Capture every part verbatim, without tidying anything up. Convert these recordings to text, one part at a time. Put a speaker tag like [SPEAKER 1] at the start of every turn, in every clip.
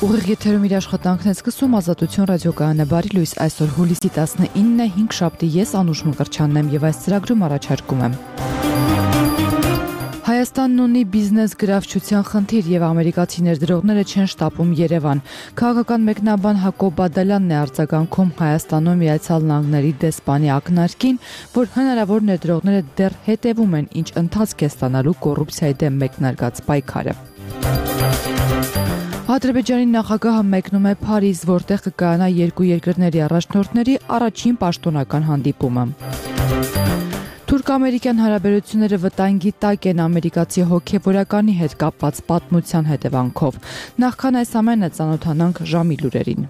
[SPEAKER 1] Ուղիղ եթերում իր աշխատանքն է սկսում Ազատություն ռադիոկայանը բարի լույս այսօր հուլիսի տասնինն է հինգշաբթի ես Անուշ Մկրտչյանն եմ եւ այս ծրագրում առաջարկում եմ Հայաստանն ունի բիզնես գրավչության խնդիր եւ ամերիկացի ներդրողները չեն շտապում Երևան։ Քաղաքական մեկնաբան Հակոբ Բադալյանն է արձագանքում Հայաստանում Միացյալ Նահանգների դեսպանի ակնարկին, որ հնարավոր ներդրողները դեռ հետևում են ինչ ընթացք է ստանալու կոռուպցիայի դեմ մեկնարկած պայքարը։ Ադրբեջանի նախագահը մեկնում է Փարիզ, որտեղ կկայանա երկու երկրների առաջնորդների առաջին պաշտոնական հանդիպումը։ Թուրք-ամերիկյան հարաբերությունները վտանգի տակ են ամերիկացի հոգևորականի հետ կապված պատմության հետևանքով։ Նախքան այս ամենը ծանոթանանք ժամի լուրերին։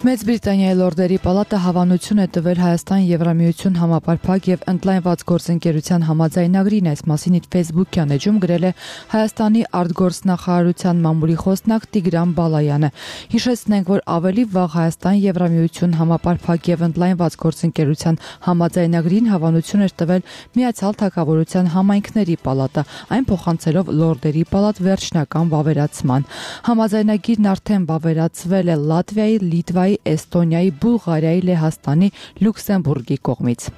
[SPEAKER 1] Մեծ Բրիտանիայի լորդերի պալատը հավանություն է տվել Հայաստան-Եվրամիություն համապարփակ եւ ընդլայնված գործընկերության համաձայնագրին, այս մասին իր Facebook-յան էջում գրել է Հայաստանի արտգործնախարարության մամուլի խոսնակ Տիգրան Բալայանը։ Հիշեցնենք, որ ավելի վաղ Հայաստան-Եվրամիություն համապարփակ եւ ընդլայնված գործընկերության համաձայնագրին հավանություն էր տվել Միացյալ Թագավորության համայնքների պալատը, այն փոխանցելով լորդերի պալատ վերջնական վավերացման։ Համաձայնագիրն արդեն վավերացվել է Լատվիայի, Լիտվայի, Էստոնիայի, Բուլղարիայի, Լեհաստանի, Լյուքսեմբուրգի կողմից։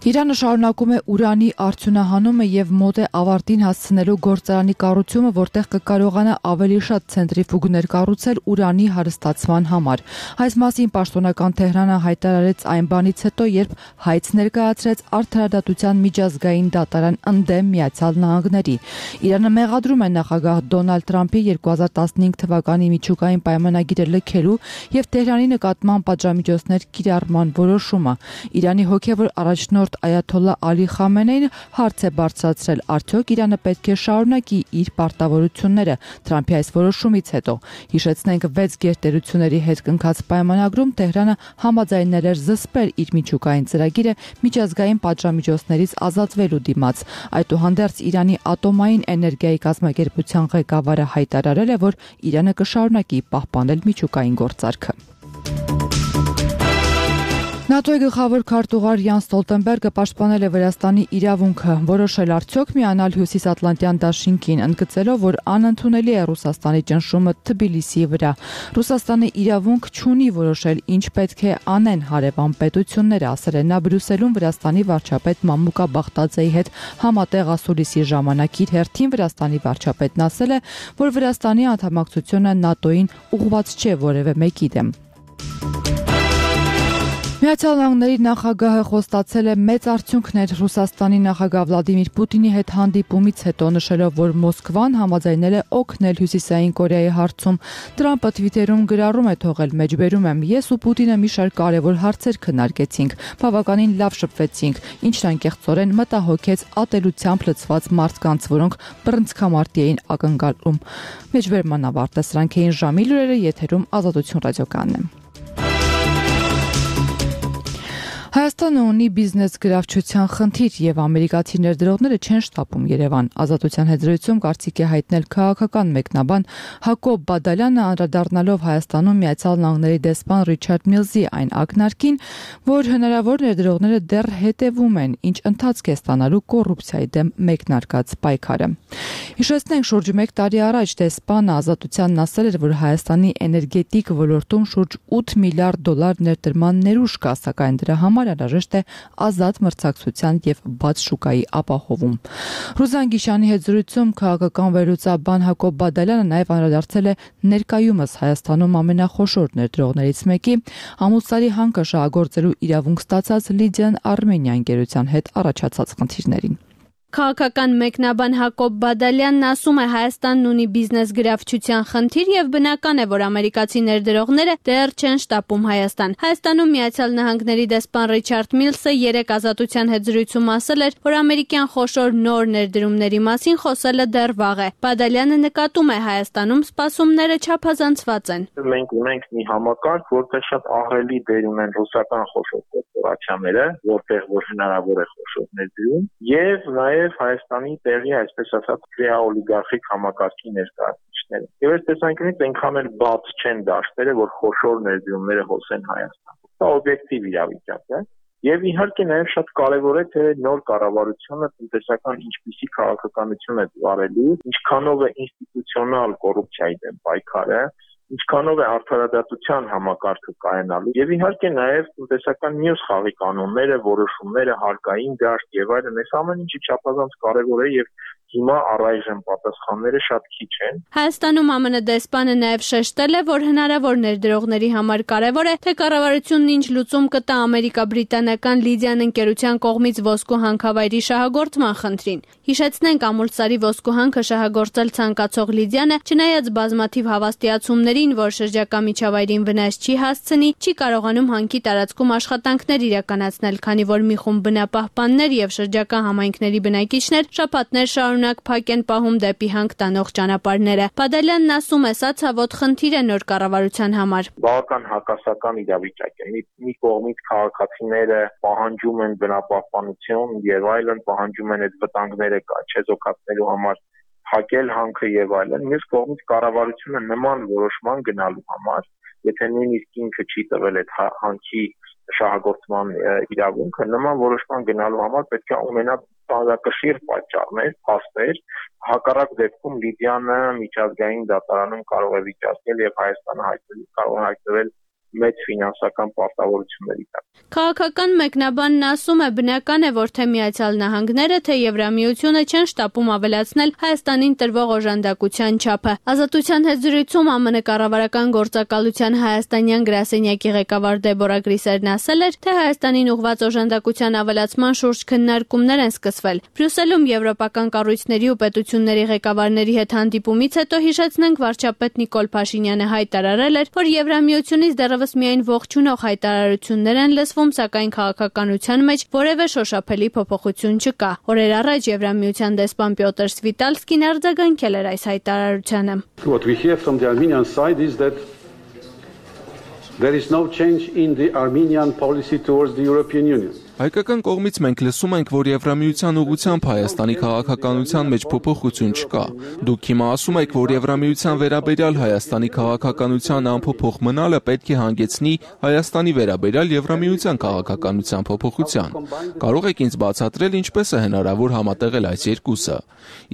[SPEAKER 1] Իրանը շարունակում է ուրանի արդյունահանումը եւ մոտ է ավարտին հասցնելու գործարանի կառուցումը, որտեղ կկարողանա ավելի շատ ցենտրիֆուգներ կառուցել ուրանի հարստացման համար։ Այս մասին պաշտոնական Թեհրանը հայտարարեց այն բանից հետո, երբ հայց ներկայացրեց Արդարադատության միջազգային դատարան ընդդեմ Միացյալ Նահանգների։ Իրանը մեղադրում է նախագահ Դոնալդ Թրամփի երկու հազար տասնհինգ թվականի միջուկային պայմանագիրը լքելու եւ Թեհրանի նկատմամբ պատժամիջոցներ կիրառման որոշումը։ Իրանի հոգեվոր առաջնորդ Այաթոլլա Ալի Խամենեին հարց է բարձրացրել, արդյոք Իրանը պետք է շարունակի իր պարտավորությունները Թրամփի այս որոշումից հետո։ Հիշեցնենք, վեց գերտերությունների հետ կնքած պայմանագրում Թեհրանը համաձայնել էր զսպել իր միջուկային ծրագիրը միջազգային պատժամիջոցներից ազատվելու դիմաց։ Այդուհանդերձ Իրանի ատոմային էներգիայի կազմակերպության ղեկավարը հայտարարել է, որ Իրանը կշարունակի պահպանել միջուկային գործարքը։ ՆԱՏՕ-ի գլխավոր քարտուղար Յան Ստոլտենբերգը պաշտպանել է Վրաստանի իրավունքը, որոշել արդյոք միանալ Հյուսիսատլանտյան դաշինքին, ընդգծելով, որ անընդունելի է Ռուսաստանի ճնշումը Թբիլիսիի վրա։ Ռուսաստանը իրավունք չունի որոշել, ինչ պետք է անեն հարևան պետությունները, ասել է նա Բրյուսելում Վրաստանի վարչապետ Մամուկա Բախտաձեի հետ համատեղ ասուլիսի ժամանակ իր հերթին Վրաստանի վարչապետն ասել է, որ Վրաստանի անդամակցությունը ՆԱՏՕ-ին ուղղված չէ որևէ մեկի դեմ։ Միացյալ Նահանգների նախագահը խոստացել է մեծ արդյունքներ Ռուսաստանի նախագահ Վլադիմիր Պուտինի հետ հանդիպումից հետո, նշելով, որ Մոսկվան համաձայնել է օգնել Հյուսիսային Կորեայի հարցում։ Տրամփը Թվիտերում գրառում է թողել, մեջբերում եմ, ես ու Պուտինը մի շարք կարևոր հարցեր քննարկեցինք, բավականին լավ շփվեցինք, ինչն անկեղծորեն մտահոգեց ատելությամբ լցված մարդկանց, որոնք բռնցքամարտի էին ակնկալում։ Մեջբերման ավարտը սրանք էին ժամի լուրերը, եթերում Ազատություն ռադիոկայանն է։ Հայաստանը ունի բիզնես գրավչության խնդիր եւ ամերիկացի ներդրողները չեն շտապում Երևան։ Ազատության հետ զրույցում կարծիք է հայտնել քաղաքական մեկնաբան Հակոբ Բադալյանը, անդրադառնալով Հայաստանում Միացյալ Նահանգների դեսպան Ռիչարդ Միլզի այն ակնարկին, որ հնարավոր ներդրողները դեռ հետևում են, ինչ ընթացք է ստանալու կոռուպցիայի դեմ մեկնարկած պայքարը։ Հիշեցնենք, շուրջ մեկ տարի առաջ դեսպանը Ազատությանն ասել էր, որ Հայաստանի էներգետիկ ոլորտում շուրջ ութ միլիարդ դոլար ներդրման ներուժ կա, սակայն դրա համար անհրաժեշտ է ազատ մրցակցության եւ բաց շուկայի ապահովում։ Ռուզան Գիշանի հետ զրույցում քաղաքական վերլուծաբան Հակոբ Բադալյանը նաեւ անդրադարձել է ներկայումս Հայաստանում ամենախոշոր ներդրողներից մեկի Ամուսարի հանքը շահագործելու իրավունք ստացած Լիդիան Արմենիա ընկերության հետ առաջացած խնդիրներին։
[SPEAKER 2] Քաղաքական մեկնաբան Հակոբ Բադալյանն ասում է, Հայաստանն ունի բիզնես գրավչության խնդիր եւ բնական է, որ ամերիկացի ներդրողները դեռ չեն շտապում Հայաստան։ Հայաստանում Միացյալ Նահանգների դեսպան Ռիչարդ Միլսը երեք Ազատության հետ զրույցում ասել էր, որ ամերիկյան խոշոր նոր ներդրումների մասին խոսելը դեռ վաղ է։ Բադալյանը նկատում է, Հայաստանում սպասումները չափազանցված են։
[SPEAKER 3] Մենք ունենք մի համակարգ, որտեղ շատ ահռելի դեր ունեն ռուսական խոշոր կորպորացիաները, որտեղ որ հնարավոր է խոշոր ներդրում, եւ նաեւ Հայաստանի տեղի, այսպես ասած, ռեաօլիգարխիկ համակարգի ներկայացուցիչները։ Եվ այս տեսանկյունից այնքան էլ բաց չեն դաշտերը, որ խոշոր ներդրումները հոսեն Հայաստան։ Դա օբյեկտիվ իրավիճակ է։ Եվ իհարկե նաև շատ կարևոր է թե նոր կառավարությունը տնտեսական ինչպիսի քաղաքականություն է վարելու, ինչքանով է ինստիտուցիոնալ կոռուպցիայի դեմ պայքարը, ինչքանով է արդարադատության համակարգը կայանալու եւ իհարկե նաեւ տնտեսական մյուս խաղի կանոնները, որոշումները, հարկային դաշտ եւ այլն, այս ամեն ինչը չափազանց կարեւոր է եւ հիմա առայժմ պատասխանները շատ քիչ են։
[SPEAKER 2] Հայաստանում ԱՄՆ դեսպանը նաև շեշտել է, որ հնարավոր ներդրողների համար կարևոր է, թե կառավարությունն ինչ լուծում կտա ամերիկա-բրիտանական Լիդիան ընկերության կողմից ոսկու հանքավայրի շահագործման խնդրին։ Հիշեցնենք, ամուլսարի ոսկու հանքը շահագործել ցանկացող Լիդիանը, չնայած բազմաթիվ հավաստիացումներին, որ շրջակա միջավայրին վնաս չի հասցնի, չի կարողանում հանքի տարածքում աշխատանքներ իրականացնել, քանի որ մի խումբ բնապահպաններ եւ շրջակա համայնքների բնակիչներ շաբաթներ շարունակ փակ են պահում դեպի հանք տանող ճանապարհները։ Բադալյանն ասում է, սա ցավոտ խնդիր է նոր կառավարության համար։
[SPEAKER 3] Բավական հակասական իրավիճակ է։ Մի, մի կողմից քաղաքացիները պահանջում են բնապահպանություն եւ այլն, պահանջում են այդ վտանգները չեզոքացնելու համար փակել հանքը եւ այլն։ Մյուս կողմից կառավարությունը նման որոշման գնալու համար, եթե նույնիսկ ինքը չի տվել այդ հանքի շահագործման իրավունքը, նման որոշման գնալու համար պետք է ունենա բազմակշիռ պատճառներ, փաստեր, հակառակ դեպքում Լիդիանը միջազգային դատարանում կարող է վիճակել եւ Հայաստանը հայտնվել կարող է հայտնվել մեծ ֆինանսական պարտավորությունների տակ։
[SPEAKER 2] Քաղաքական մեկնաբանն ասում է, բնական է, որ թե Միացյալ Նահանգները, թե Եվրամիությունը չեն շտապում ավելացնել Հայաստանին տրվող օժանդակության չափը։ Ազատության հետ զրույցում ԱՄՆ կառավարական գործակալության հայաստանյան գրասենյակի ղեկավար Դեբորա Գրիսերն ասել էր, թե Հայաստանին ուղղված օժանդակության ավելացման շուրջ քննարկումներ են սկսվել։ Բրյուսելում եվրոպական կառույցների ու պետությունների ղեկավարների հետ հանդիպումից հետո հիշեցնենք, վարչապետ Նիկոլ Փաշինյանը հայտարարել էր, որ Եվրամիությունից դեռևս միայն ողջունող հայտարարություններ են լսվում, սակայն քաղաքականության մեջ որևէ շոշափելի փոփոխություն չկա։ Օրեր առաջ Եվրամիության դեսպան Պյոտր Սվիտալսկին արձագանքել էր այս հայտարարությանը։
[SPEAKER 4] What we hear from the Armenian side is that there is no change in the Armenian policy towards the European Union.
[SPEAKER 5] Հայկական կողմից մենք լսում ենք, որ Եվրամիության ուղղությամբ Հայաստանի քաղաքականության մեջ փոփոխություն չկա։ Դուք հիմա ասում եք, որ Եվրամիության վերաբերյալ Հայաստանի քաղաքականության անփոփոխ մնալը պետք է հանգեցնի Հայաստանի վերաբերյալ Եվրամիության քաղաքականության փոփոխության։ Կարող եք ինձ բացատրել, ինչպես է հնարավոր համատեղել այս երկուսը։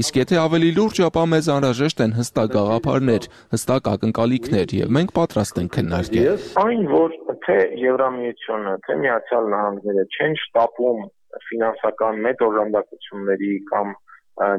[SPEAKER 5] Իսկ եթե ավելի լուրջ, ապա մեզ անհրաժեշտ են հստակ գաղափարներ, հստակ ակնկալիքներ, եւ մենք պատրաստ ենք քննարկել։
[SPEAKER 3] Այն, որ թե Եվրամիությունը, թե Միացյալ Նահանգները չեն շտապում ֆինանսական մեծ օժանդակությունների կամ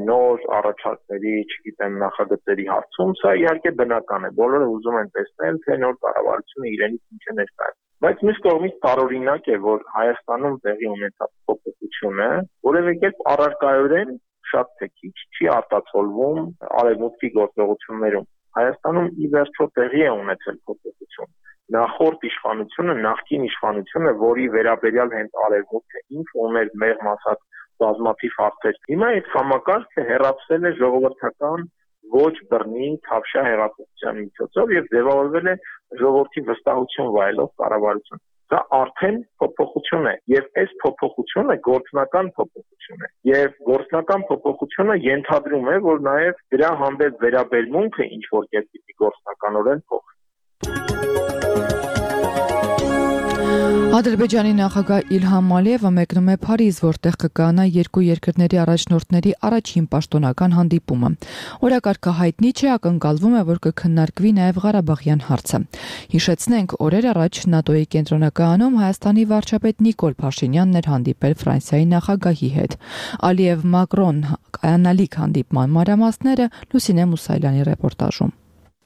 [SPEAKER 3] նոր առաջարկների, չգիտեմ, նախագծերի հարցում, սա իհարկե բնական է։ Բոլորը ուզում են տեսնել, թե նոր կառավարությունը իրենից ինչ է ներկայացնում։ Բայց մյուս կողմից տարօրինակ է, որ Հայաստանում տեղի ունեցած փոփոխությունը որևէ կերպ առարկայորեն շատ թե քիչ չի արտացոլվում արևմուտքի գործողություններում։ Հայաստանում ի վերջո տեղի է ունեցել փոփոխություն։ Նախորդ իշխանությունը, նախկին իշխանությունը, որի վերաբերյալ հենց արևմուտքը ինքը ուներ մեղմ ասած բազմաթիվ հարցեր։ Հիմա այդ համակարգը հեռացվել է ժողովրդական ոչ բռնի թավշյա հեղափոխության միջոցով եւ ձևավորվել է ժողովրդի վստահություն վայելող կառավարություն։ Դա արդեն փոփոխություն է եւ այս փոփոխությունը գործնական փոփոխություն է եւ գործնական փոփոխությունը ենթադրում է, որ նաեւ դրա հանդեպ վերաբերմունքը ինչ որ կերպի գործնականորեն փոխվի։
[SPEAKER 1] Ադրբեջանի նախագահ Իլհամ Ալիևը մեկնում է Փարիզ, որտեղ կկայանա երկու երկրների առաջնորդների առաջին պաշտոնական հանդիպումը։ Օրակարգը հայտնի չէ, ակնկալվում է, որ կքննարկվի նաև Ղարաբաղյան հարցը։ Հիշեցնենք, օրեր առաջ ՆԱՏՕ-ի կենտրոնակայանում Հայաստանի վարչապետ Նիկոլ Փաշինյանն էր հանդիպել Ֆրանսիայի նախագահի հետ։ Ալիև-Մակրոն կայանալիք հանդիպման մանրամասները Լուսինե Մուսայելյանի ռեպորտաժում։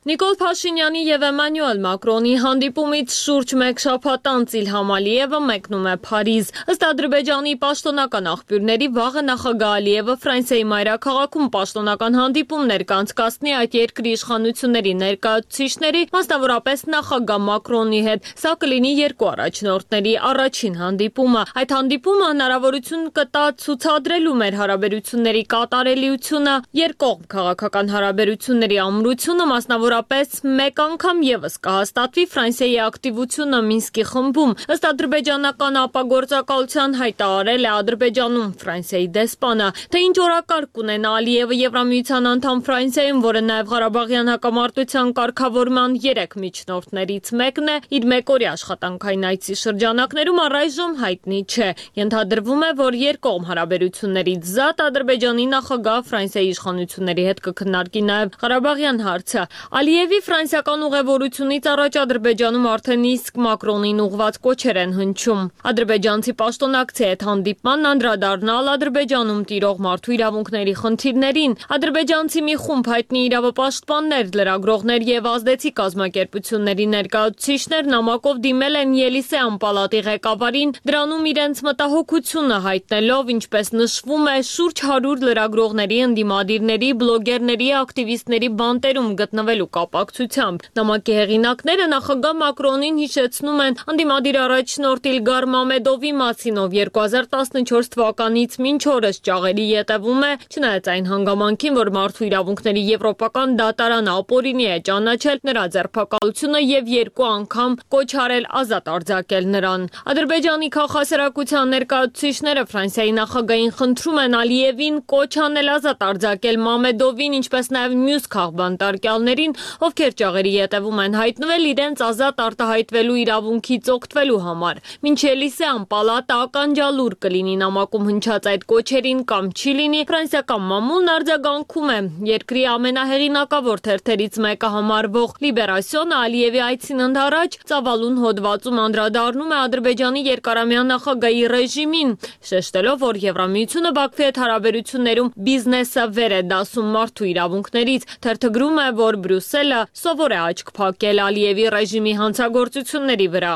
[SPEAKER 6] Նիկոլ Փաշինյանի եւ Էմանուել Մակրոնի հանդիպումից շուրջ մեկ շաբաթ անց Իլհամ Ալիևը մեկնում է Փարիզ։ Ըստ Ադրբեջանի պաշտոնական աղբյուրների, վաղը նախագահ Ալիևը Ֆրանսիայի մայրաքաղաքում պաշտոնական հանդիպումներ կանցկացնի այդ երկրի իշխանությունների ներկայացուցիչների, մասնավորապես նախագահ Մակրոնի հետ։ Սա կլինի երկու առաջնորդների առաջին հանդիպումը։ Այդ հանդիպումը հնարավորություն կտա ցուցադրելու մեր հարաբերությունների կատարելիությունը, երկկողմ քաղաքական հարաբերությունների ամրությունը, մասնավոր Ընդհանրապես մեկ անգամ եւս կհաստատվի Ֆրանսիայի ակտիվությունը Մինսկի խմբում։ Ըստ ադրբեջանական ապագործակալության հայտարարել է Ադրբեջանում Ֆրանսիայի դեսպանը, թե ինչ օրակարգ ունենա Ալիևը Եվրամիության անդամ Ֆրանսիայում, որը նաեւ Ղարաբաղյան հակամարտության կարգավորման երեք միջնորդներից մեկն է, իր մեկօրյա աշխատանքային այցի շրջանակներում առայժմ հայտնի չէ։ Ենթադրվում է, որ երկկողմ հարաբերություններից զատ Ադրբեջանի նախագահ Ֆրանսիայի իշխանությունների հետ կքննարկի նաև Ղարաբաղյան հարցը։ Ալիևի ֆրանսիական ուղևորությունից առաջ Ադրբեջանում արդեն իսկ Մակրոնին ուղղված կոչեր են հնչում։ Ադրբեջանցի պաշտոնակցի հետ հանդիպմանն անդրադառնալ Ադրբեջանում տիրող մարդու իրավունքների խնդիրներին։ Ադրբեջանցի մի խումբ հայտնի իրավապաշտպաններ, լրագրողներ եւ ազդեցիկ կազմակերպությունների ներկայացուցիչներ նամակով դիմել են Ելիսեյան պալատի ղեկավարին, դրանում իրենց մտահոգությունը հայտնելով, ինչպես նշվում է, շուրջ հարյուր լրագրողների, ընդդիմադիրների, բլոգերների, ակտիվիստների բանտերում գտնվելու կապակցությամբ։ Նամակի հեղինակները նախագահ Մակրոնին հիշեցնում են ընդդիմադիր առաջնորդ Իլգար Մամեդովի մասին, ով երկու հազար տասնչորս թվականից մինչ օրս ճաղերի ետևում է, չնայած այն հանգամանքին, որ մարդու իրավունքների եվրոպական դատարանը ապօրինի է ճանաչել նրա ձերբակալությունը եւ երկու անգամ կոչ արել ազատ արձակել նրան։ Ադրբեջանի քաղաքասարակության ներկայացուցիչները Ֆրանսիայի նախագահին խնդրում են Ալիևին կոչ անել ազատ արձակել Մամեդովին, ինչպես նաեւ մյուս քաղբանտարկյալներին, ովքեր ճաղերի ետևում են հայտնվել իրենց ազատ արտահայտվելու իրավունքից օգտվելու համար։ Մինչ Ելիսեյան պալատը ականջալուր կլինի նամակում հնչած այդ կոչերին կամ չի լինի, ֆրանսիական մամուլն արձագանքում է։ Երկրի ամենահեղինակավոր թերթերից մեկը համարվող Լիբերասիոնը Ալիևի այցին ընդառաջ ծավալուն հոդվածում անդրադառնում է Ադրբեջանի երկարամյա նախագահի ռեժիմին, շեշտելով, որ Եվրամիությունը Բաքվի հետ հարաբերություններում բիզնեսը վեր է դասում մարդու իրավունքներից։ Թերթը գրում է, որ Բրյուսելը սովոր է աչք փակել Ալիևի ռեժիմի հանցագործությունների վրա։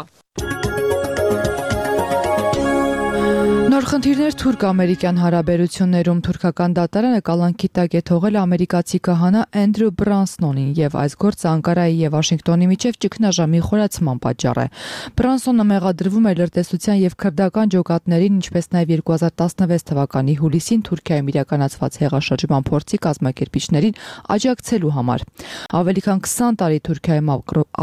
[SPEAKER 1] Նոր խնդիրներ թուրք-ամերիկյան հարաբերություններում թուրքական դատարանը կալանքի տակ է թողել ամերիկացի քահանա Էնդրյու Բրանսոնին եւ այս գործը Անկարայի եւ Վաշինգտոնի միջև ճգնաժամի խորացման պատճառ է։ Բրանսոնը մեղադրվում է լրտեսության եւ քրդական ջոկատներին, ինչպես նաեւ երկու հազար տասնվեց թվականի հուլիսին Թուրքիայում իրականացված հեղաշրջման փորձի կազմակերպիչներին աջակցելու համար։ Ավելի քան քսան տարի Թուրքիայում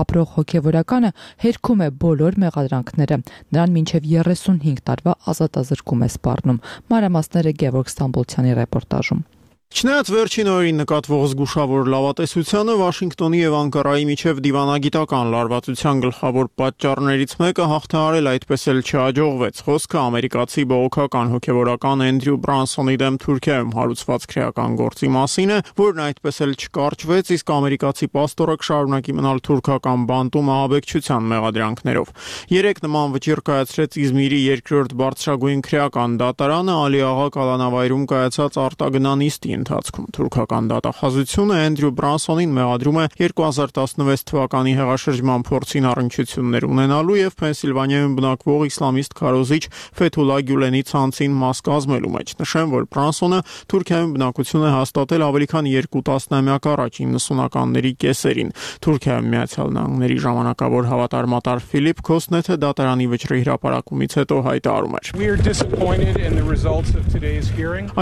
[SPEAKER 1] ապրող հոգեվորականը հերքում է բոլոր մեղադրանքները։ Նրան մինչեւ երեսունհինգ տարվա ազատազրկում է սպառնում։ Մանրամասները Գևորգ Ստամբոլցյանի ռեպորտաժում։
[SPEAKER 7] Չնայած վերջին օրերին նկատվող զգուշավոր լավատեսությանը Վաշինգտոնի եւ Անկարայի միջև դիվանագիտական լարվածության գլխավոր պատճառներից մեկը հաղթահարել այդպես էլ չհաջողվեց։ Խոսքը ամերիկացի բողոքական հոգեվորական Էնդրյու Բրանսոնի դեմ Թուրքիայում հարուցված քրեական գործի մասին է, որն այդպես էլ չկարճվեց, իսկ ամերիկացի պաստորը կշարունակի մնալ թուրքական բանտում ահաբեկչության մեղադրանքներով։ Երեք նման վճիռ կայացրեց Իզմիրի երկրորդ բարձրագույն քրեական դատարանը Ալի աղա կալանավայրում կայացած արտագնանիստի ընթացքում։ Թուրքական դատախազությունը Էնդրյու Բրանսոնին մեղադրում է երկու հազար տասնվեց թվականի հեղաշրջման փորձին առնչություններ ունենալու եւ Փենսիլվանիայում բնակվող իսլամիստ քարոզիչ Ֆեթուլա Գյուլենի ցանցին մաս կազմելու մեջ։ Նշեմ, որ Բրանսոնը Թուրքիայում բնակություն է հաստատել ավելի քան երկու տասնամյակ առաջ իննսունականների կեսերին։ Թուրքիայում Միացյալ Նահանգների ժամանակավոր հավատարմատար Ֆիլիպ Քոսնեթը դատարանի վճռի հրապարակումից հետո հայտարարում էր.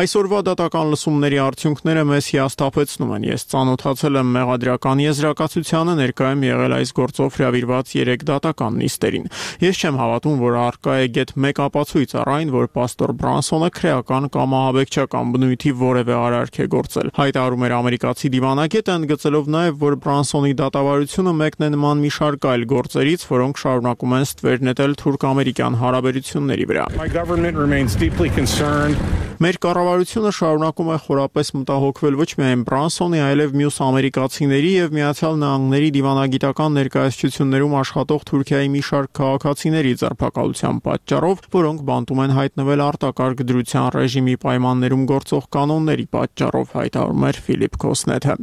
[SPEAKER 7] Այսօրվա դատական լսումների արդյունքները մեզ հիասթափեցնում են։ Ես ծանոթացել եմ մեղադրական եզրակացությանը, ներկայում եղել այս գործով հրավիրված երեք դատական նիստերին։ Ես չեմ հավատում, որ առկա է գեթ մեկ ապացույց առ այն, որ պաստոր Բրանսոնը քրեական կամ ահաբեկչական բնույթի որևէ արարք է գործել։ Հայտարարում էր ամերիկացի դիվանագետը, ընդգծելով նաև, որ Բրանսոնի դատավարությունը մեկն է նման մի շարք այլ գործերից, որոնք շարունակում են ստվեր նետել թուրք-ամերիկյան հարաբերությունների վրա։ Մեր կառավարությունը շարունակում է խորապես մտահոգվել ոչ միայն Բրանսոնի, այլև մյուս ամերիկացիների եւ Միացյալ Նահանգների դիվանագիտական ներկայացություններում աշխատող Թուրքիայի մի շարք քաղաքացիների ձերբակալության պատճառով, որոնք բանտում են հայտնվել արտակարգ դրության ռեժիմի պայմաններում գործող կանոնների պատճառով, հայտարարում էր Ֆիլիպ Քոսնեթը։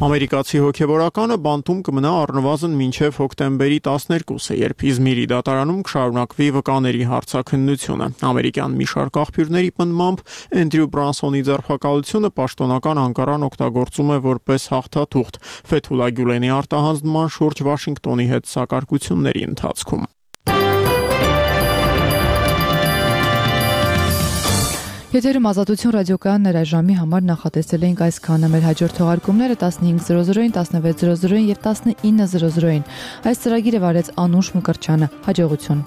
[SPEAKER 7] Ամերիկացի հոգեվորականը բանտում կմնա առնվազն մինչև հոկտեմբերի տասներկուսը, երբ Իզմիրի դատարանում կշարունակվի վկաների հարցաքննությունը։ Ամերիկյան մի շարք աղբյուրների պնդմամբ Էնդրյու Բրանսոնի ձերբակալությունը պաշտոնական Անկարան օգտագործում է որպես հաղթաթուղթ Ֆեթուլա Գյուլենի արտահանձնման շուրջ Վաշինգտոնի հետ սակարկությունների ընթացքում։
[SPEAKER 1] Եթերում Ազատություն ռադիոկայանն էր, այս ժամի համար նախատեսել էինք այսքանը։ Մեր հաջորդ թողարկումները տասնհինգ զրո զրոին, տասնվեց զրո զրոին եւ տասնինը զրո զրոին։ Այս ծրագիրը վարեց Անուշ Մկրտչյանը։ Հաջողություն։